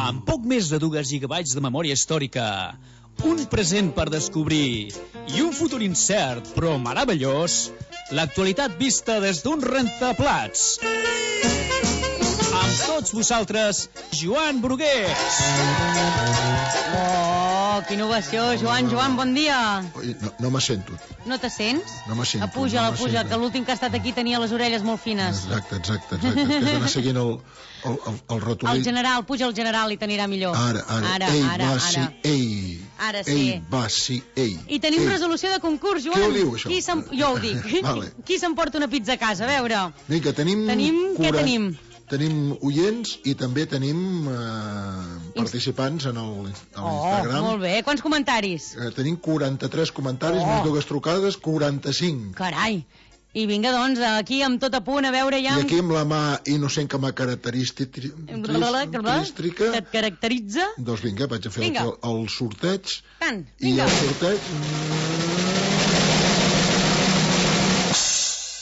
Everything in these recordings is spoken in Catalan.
Amb poc més de 2 gigabytes de memòria històrica, un present per descobrir i un futur incert però meravellós, l'actualitat vista des d'un rentaplats. Amb tots vosaltres, Joan Brugués. Oh, quina innovació, Joan, bon dia. No me sento. No te sents? No me sento. Puja, que l'últim que ha estat aquí tenia les orelles molt fines. Exacte. És que has d'anar seguint el ratolí. El general, puja el general i t'anirà millor. Ara. Ei, va, sí, ei. I tenim resolució de concurs, Joan. Qui ho diu, això? Jo ho dic. Vale. Qui s'emporta una pizza a casa? A veure. Vinga, tenim... Què tenim? Tenim oients i també tenim participants en l'Instagram. Molt bé. Quants comentaris? Tenim 43 comentaris, més 2 trucades, 45. Carai. I vinga, doncs, aquí amb tot a punt, a veure ja... I aquí amb la mà innocent que m'ha característica... Que et caracteritza? Doncs vinga, vaig a fer el sorteig. Tant, vinga. I el sorteig...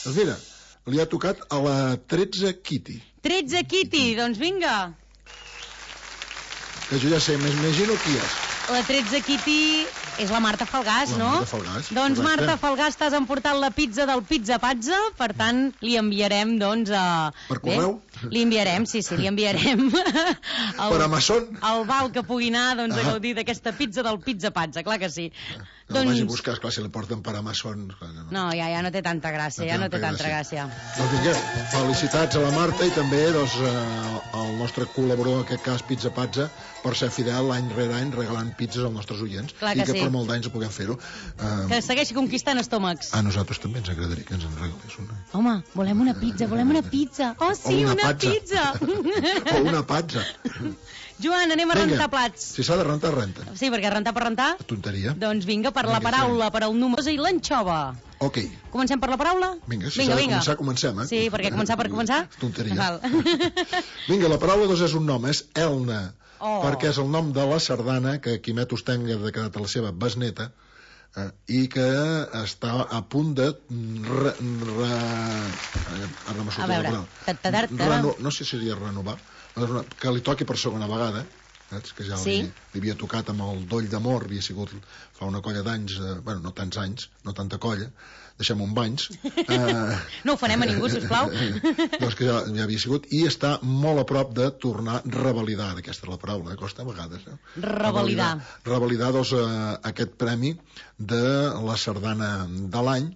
Doncs mira, li ha tocat a la 13 Kitty. 13 Kitty, doncs vinga. Que jo ja sé, m'imagino qui és. La 13 Kitty és la Marta Falgàs, no? Marta Falgàs. Doncs Marta Falgàs, t'has emportat la pizza del Pizza Pazza, per tant, li enviarem, doncs... Per correu? Li enviarem, sí, li enviarem... Per Amazon? El val que pugui anar, doncs, a gaudir d'aquesta pizza del Pizza Pazza, clar que sí. No vagi a buscar, esclar, si la porten per Amazon... No, ja no té tanta gràcia, Doncs vinga, felicitats a la Marta i també, doncs, al nostre col·laborador, en aquest cas Pizza Pazza, per ser fidel any rere any regalant pizzas als nostres oients. Clar que sí. Per molts anys puguem fer-ho. Que segueixi conquistant estómacs. A nosaltres també ens agradaria que ens en regalés una. Home, volem una pizza. Oh, sí, una pizza. O una pazza. Joan, anem a rentar plats. Si s'ha de rentar, renta. Sí, perquè rentar per rentar... Tonteria. Doncs vinga, per la paraula, per al número i l'anxova. Ok. Comencem per la paraula? Vinga, si s'ha de començar, comencem, Sí, perquè començar per començar? Tonteria. Vinga, la paraula doncs és un nom, és Elna. Perquè és el nom de la sardana que Quimet Usteng ha declarat a la seva besneta i que està a punt de a veure, no sé si seria renovar, que li toqui per segona vegada, que ja li havia tocat amb el Doll d'Amor, havia sigut fa una colla d'anys, bueno, no tants anys, no tanta colla, deixem un banys. No ho farem a ningú, sisplau. Doncs que ja havia sigut, i està molt a prop de tornar a revalidar, aquesta és la paraula, costa a vegades. Revalidar, doncs, aquest premi de la sardana de l'any,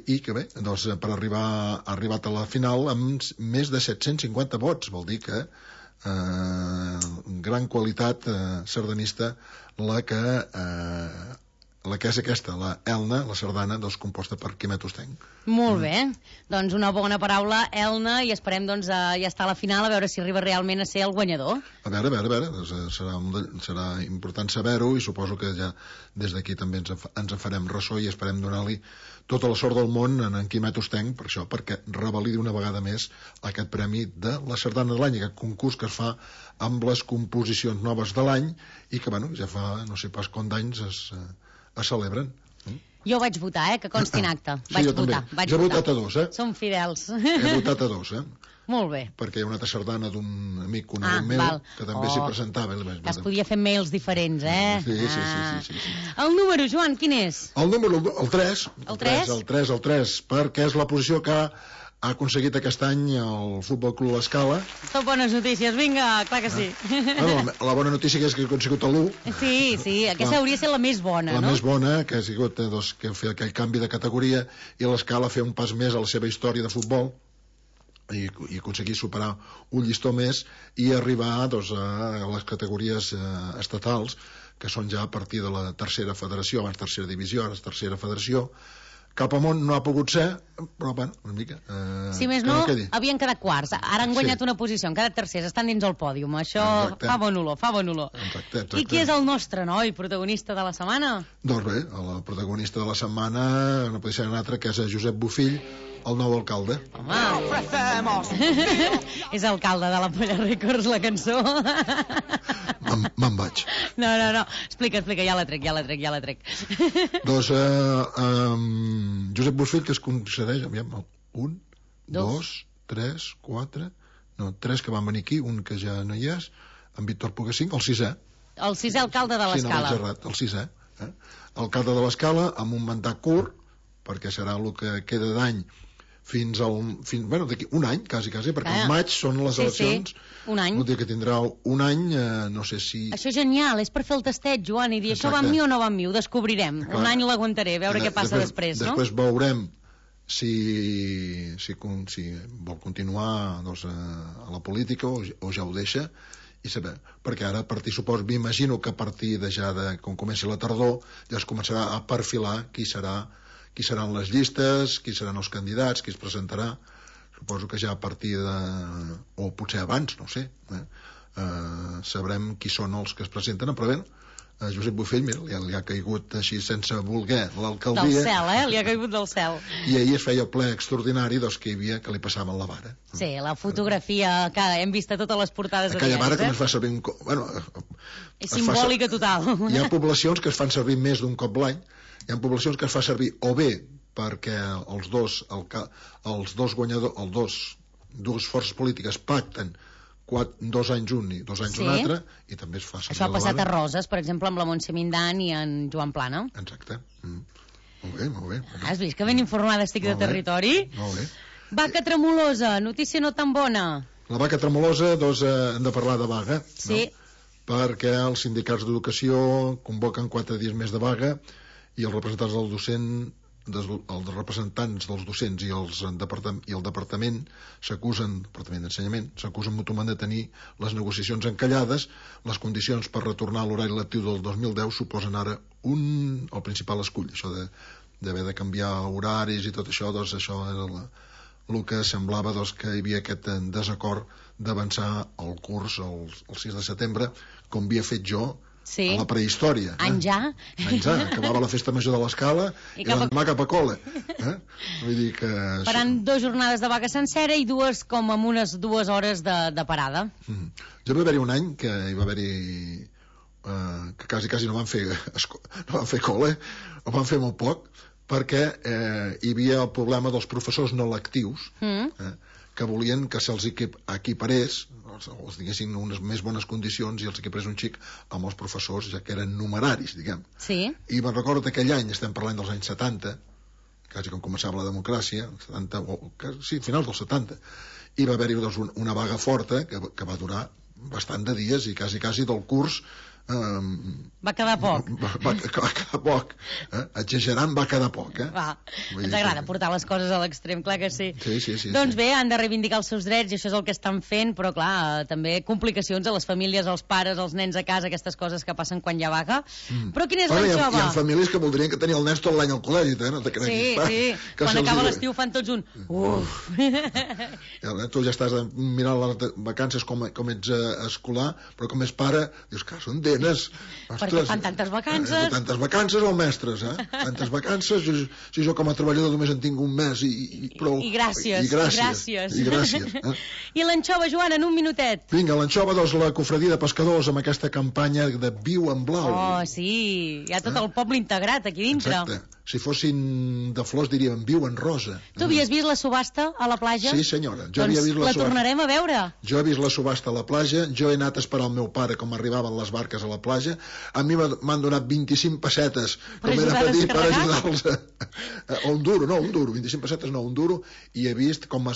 i que bé, doncs, per arribar ha arribat a la final amb més de 750 vots, vol dir que gran qualitat sardanista la que és aquesta, la Elna, la sardana, doncs, composta per Quimet Usteng. Molt bé, doncs una bona paraula, Elna, i esperem doncs ja estar a la final a veure si arriba realment a ser el guanyador. A veure, doncs, serà important saber-ho, i suposo que ja des d'aquí també ens en farem ressò i esperem donar-li tota la sort del món en Quimet Usteng, per això, perquè revalidi una vegada més aquest premi de la sardana de l'any, aquest concurs que es fa amb les composicions noves de l'any i que, bueno, ja fa no sé pas quant d'anys es celebren. Jo vaig votar, que consti en acte. Vaig votar. Jo he votat a 2, Som fidels. He votat a 2, Molt bé. Perquè hi ha una altra sardana d'un amic conegut meu que també s'hi presentava. Que es podia fer mails diferents, Sí. El número, Joan, quin és? El número, el 3. El 3? El 3, perquè és la posició que ha aconseguit aquest any el Futbol Club L'Escala. Tot bones notícies, vinga, clar que sí. La bona notícia és que ha aconsegut l'1. Sí, aquesta hauria de ser la més bona, no? La més bona, que ha sigut que fer aquell canvi de categoria i l'Escala fer un pas més a la seva història de futbol i aconseguir superar un llistó més i arribar doncs, a les categories estatals, que són ja a partir de la tercera federació, abans tercera divisió, ara tercera federació. Cap amunt no ha pogut ser, però bueno, una mica... Si més no, havien quedat quarts. Ara han guanyat una posició, han quedat tercers, estan dins el pòdium. Això fa bon olor. Exacte. I qui és el nostre noi protagonista de la setmana? Doncs bé, el protagonista de la setmana no pot ser un altre, que és Josep Bofill, el nou alcalde. Home! És alcalde de la Polla Records, la cançó. Me'n vaig. No. Explica, ja la trec. Doncs Josep Bofill, que es concedeix, aviam, 1, 2, 3, 4, no, 3 que van venir aquí, un que ja no hi és, en Víctor Poguesín, el 6è. El 6è alcalde de l'Escala. Sí, no, el 6è. Alcalde de l'Escala, amb un mandat curt, perquè serà el que queda d'any fins d'aquí un any, quasi, perquè al maig són les eleccions. Sí, un any. Vol dir que tindrà un any, no sé si... Això és genial, és per fer el tastet, Joan, i dir això va amb mi o no va amb mi, ho descobrirem. Clar. Un any l'aguantaré, a veure què passa després, no? Després veurem si vol continuar doncs, a la política o ja ho deixa, i saber, perquè ara, m'imagino que a partir de ja quan comenci la tardor, ja es començarà a perfilar qui seran les llistes, qui seran els candidats, qui es presentarà. Suposo que ja a partir de... o potser abans, no ho sé, sabrem qui són els que es presenten, però bé, Josep Bofill, mira, li ha caigut així sense voler l'alcaldia. Del cel, li ha caigut del cel. I ahir es feia el ple extraordinari dels que hi havia que li passaven la vara. Sí, la fotografia que hem vist a totes les portades de aquella vara que es fa servir és simbòlica total. Hi ha poblacions que es fan servir més d'un cop l'any, hi ha poblacions que es fa servir o bé perquè els dos guanyadors, dues forces polítiques pacten 2 anys un i 2 anys un altre, i també es fa servir. Això ha passat a Roses, per exemple, amb la Montse Mindan i en Joan Plana. Exacte. Molt bé. Has vist que ben informada estic de territori? Molt bé. Vaca tremolosa, notícia no tan bona. La vaca tremolosa, hem de parlar de vaga, sí, no? Perquè els sindicats d'educació convoquen 4 dies més de vaga i els representants dels docents i el departament d'ensenyament s'acusen mútuament de tenir les negociacions encallades. Les condicions per retornar a l'horari lectiu del 2010 suposen ara el principal escull, això d'haver de canviar horaris i tot això, doncs això era el que semblava que hi havia aquest desacord d'avançar el curs el 6 de setembre, com havia fet jo a la prehistòria. Enjà. Acabava la festa major de l'Escala i l'endemà cap a col·le. Vull dir que... Faran 2 jornades de vaga sencera i 2 com amb unes 2 hores de parada. Ja va haver-hi un any que hi va haver-hi que quasi no van fer col·le, o van fer molt poc, perquè hi havia el problema dels professors no lectius, que volien que se'ls equiparés, els diguessin unes més bones condicions i els equiparés un xic amb els professors, ja que eren numeraris, diguem. Sí. I me'n recordo que aquell any, estem parlant dels anys 70, quasi com començava la democràcia, finals dels 70, i va haver-hi una vaga forta que va durar bastant de dies i quasi del curs va quedar poc. Va quedar poc. Exagerant va quedar poc. Ens agrada portar les coses a l'extrem, clar que sí. Sí. Doncs bé, han de reivindicar els seus drets i això és el que estan fent, però clar, també complicacions a les famílies, als pares, als nens a casa, aquestes coses que passen quan hi ha vaga. Però quina és l'anxova? Hi ha famílies que voldrien que tenir el nen tot l'any al col·legi, no te creguis. Sí. Quan acaba l'estiu fan tots un uf. Tu ja estàs mirant les vacances com ets escolar, però com és pare, dius que són denes. Perquè fan tantes vacances. Tantes vacances o mestres, tantes vacances. Si jo com a treballador només en tinc un mes i prou. I gràcies. I l'anxova, Joan, en un minutet. Vinga, l'anxova, doncs la cofradia de pescadors amb aquesta campanya de Viu en Blau. Oh, sí, hi ha tot el poble integrat aquí dintre. Exacte. Si fossin de flors diríem Viu en Rosa. Tu havies vist la subhasta a la platja? Sí, senyora. Jo havia vist la tornarem a veure. Jo he vist la subhasta a la platja, jo he anat a esperar el meu pare com arribaven les barques a la platja. A mi m'han donat 25 pessetes per ajudar-los a un duro, 25 pessetes no, un duro, i he vist com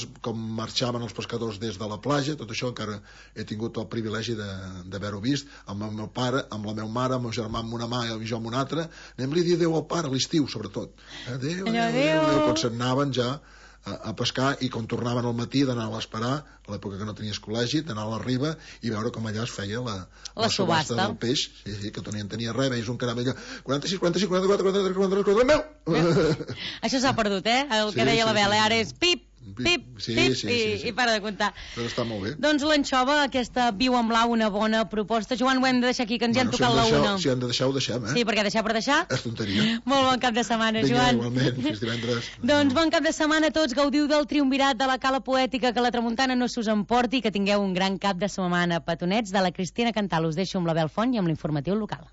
marxaven els pescadors des de la platja. Tot això encara he tingut el privilegi d'haver-ho vist amb el meu pare, amb la meva mare, amb el meu germà amb una mà i jo amb una altra. Anem-li a dir adéu al pare a l'estiu, sobretot. Adéu. Quan s'anaven ja a pescar i quan tornaven al matí d'anar a l'esperar, a l'època que no tenies col·legi, d'anar a la riba i veure com allà es feia la subhasta del peix, que no en tenia res, veies un canal allà 46, 44, 43, 44, meu! Això s'ha perdut, el que deia la Bela, ara és pip, pip, pip, i para de comptar. Però està molt bé. Doncs l'anxova, aquesta Viu en Blau, una bona proposta. Joan, ho hem de deixar aquí, que ens hi han tocat la una. Si hem de deixar, ho deixem, Sí, perquè deixar per deixar... És tonteria. Molt bon cap de setmana, Joan. Vinga, igualment, fins divendres. Doncs bon cap de setmana a tots, gaudiu del triumvirat de la Cala Poètica, que la tramuntana no s'us emporti, que tingueu un gran cap de setmana. Petonets de la Cristina Cantal. Us deixo amb la Bel Font i amb l'informatiu local.